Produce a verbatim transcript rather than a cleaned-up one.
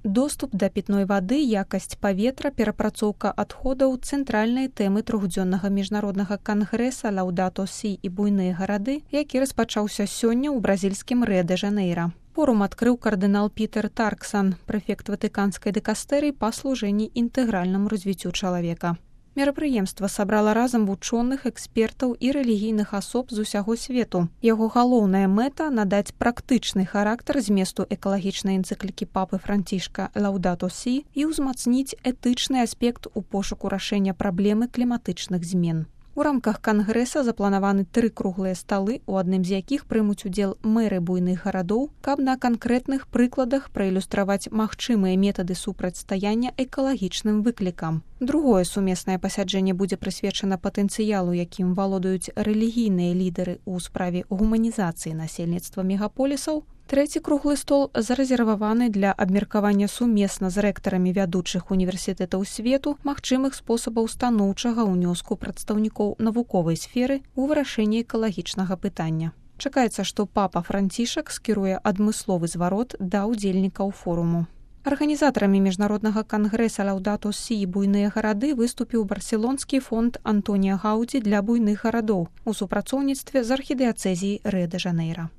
Доступ да пітной вады, якасць паветра, перапрацоўка адходаў – цэнтральныя тэмы трохдзённага міжнароднага кангрэса «Лаўдато Сі» і буйныя гарады, які распачаўся сёння ў бразільскім Рыа-дэ-Жанэйра. Форум адкрыў кардынал Пітер Тарксан, прэфект ватыканскай дыкастэрыі па служэнні інтэгральнаму развіццю чалавека. Мерапрыемства сабрала разам вучоных, экспертаў і рэлігійных асоб з усяго свету. Яго галоўная мэта – надаць практычны характар зместу экалагічнай энцыклікі папы Францішка «Лаўдато Сі» і ўзмацніць этычны аспект у пошуку рашэння праблемы кліматычных змен. У рамках кангрэса запланаваны тры круглыя сталы, у адным з якіх прымуць удзел мэры буйных гарадоў, каб на канкрэтных прыкладах праілюстраваць магчымыя метады супрацьстаяння экалагічным выклікам. Другое сумеснае пасяджэнне будзе прысвечана патэнцыялу, якім валодаюць рэлігійныя лідары ў справе гуманізацыі насельніцтва мегаполісаў. Трэці круглы стол зарэзерваваны для абмеркавання сумесна з рэктарамі вядучых універсітэтаў свету магчымых спосабаў станоўчага ўнёску прадстаўнікоў навуковай сферы ў вырашэнні экалагічнага пытання. Чакаецца, што папа Францішак скіруе адмысловы зварот да ўдзельнікаў форуму. Арганізатарамі міжнароднага кангрэса «Лаўдато Сі» і буйныя гарады выступіў барселонскі фонд Антонія Гаўдзі для буйных гарадоў у супрацоўніцтве з архідыяцэзіяй Рыа-дэ-Жанэйра.